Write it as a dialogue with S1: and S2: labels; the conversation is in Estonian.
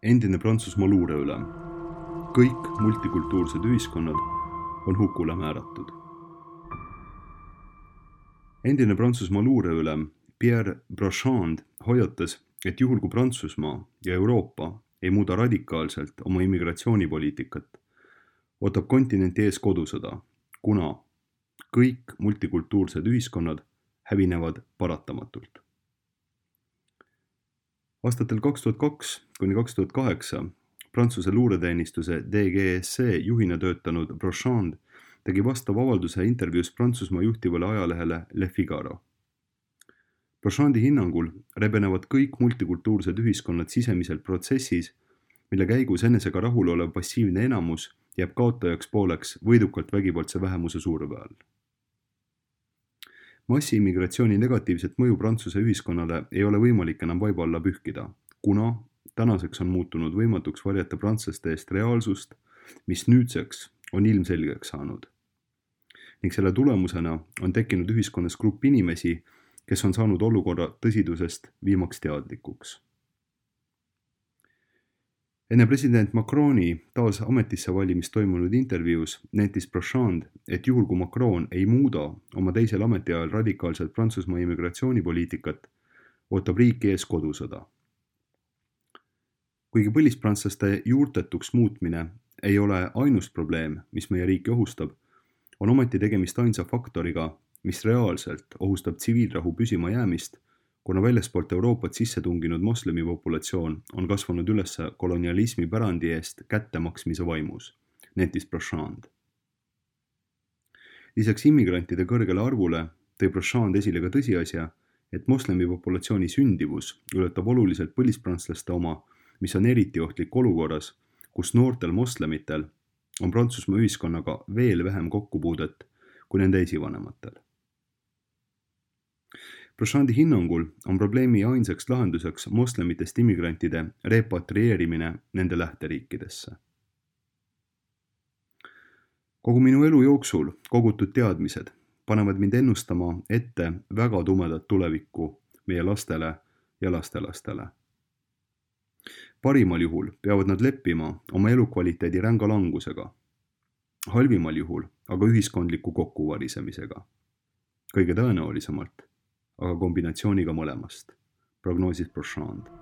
S1: Endine Prantsusmaa luureülem. Kõik multikultuursed ühiskonnad on hukule määratud. Endine Prantsusmaa luureülem Pierre Brochand hoiatas, et juhul kui Prantsusmaa ja Euroopa ei muuda radikaalselt oma immigratsioonipoliitikat, ootab kontinenti ees kodusõda, kuna kõik multikultuursed ühiskonnad hävinevad paratamatult. Aastatel 2002 kuni 2008 Prantsuse luureteenistuse DGSC juhina töötanud Brochand tegi vastava avalduse intervjuus Prantsusmaa juhtivale ajalehele Le Figaro. Brochandi hinnangul rebenevad kõik multikultuursed ühiskonnad sisemiselt protsessis, mille käigus enesega rahul olev passiivne enamus jääb kaotajaks pooleks võidukalt vägivaldse vähemuse surve all. Massiimmigratsiooni negatiivset mõju Prantsuse ühiskonnale ei ole võimalik enam vaiba alla pühkida, kuna tänaseks on muutunud võimatuks varjata prantslaste eest reaalsust, mis nüüdseks on ilmselgeks saanud. Ning selle tulemusena on tekkinud ühiskonnas grupp inimesi, kes on saanud olukorra tõsidusest viimaks teadlikuks. Enne president Macroni taas ametisse valimist toimunud intervjuus nentis Brochand, et juhul kui Macron ei muuda oma teisel ametiajal radikaalselt Prantsusmaa immigratsioonipoliitikat, ootab riiki ees kodusõda. Kuigi põlisprantslaste juurtetuks muutmine ei ole ainus probleem, mis meie riiki ohustab, on ometi tegemist ainsa faktoriga, mis reaalselt ohustab tsiviilrahu püsima jäämist, kuna väljaspoolt Euroopat sisse tunginud moslemi populatsioon on kasvanud üles kolonialismi pärandi eest kättemaksmise vaimus, nentis Brochand. Lisaks immigrantide kõrgele arvule tõi Brochand esile ka tõsiasja, et moslemi populatsiooni sündivus ületab oluliselt põlisprantslaste oma, mis on eriti ohtlik olukorras, kus noortel moslemitel on Prantsusmaa ühiskonnaga veel vähem kokkupuudet kui nende esivanematel. Brochandi hinnangul on probleemi ainsaks lahenduseks moslemitest immigrantide repatrieerimine nende lähteriikidesse. Kogu minu elu jooksul kogutud teadmised panevad mind ennustama ette väga tumedat tulevikku meie lastele ja lastelastele. Parimal juhul peavad nad leppima oma elukvaliteedi ränga langusega, halvimal juhul aga ühiskondliku kokkuvarisemisega. Kõige tõenäolisemalt aga kombinatsiooniga mõlemast, prognoosis Brochand.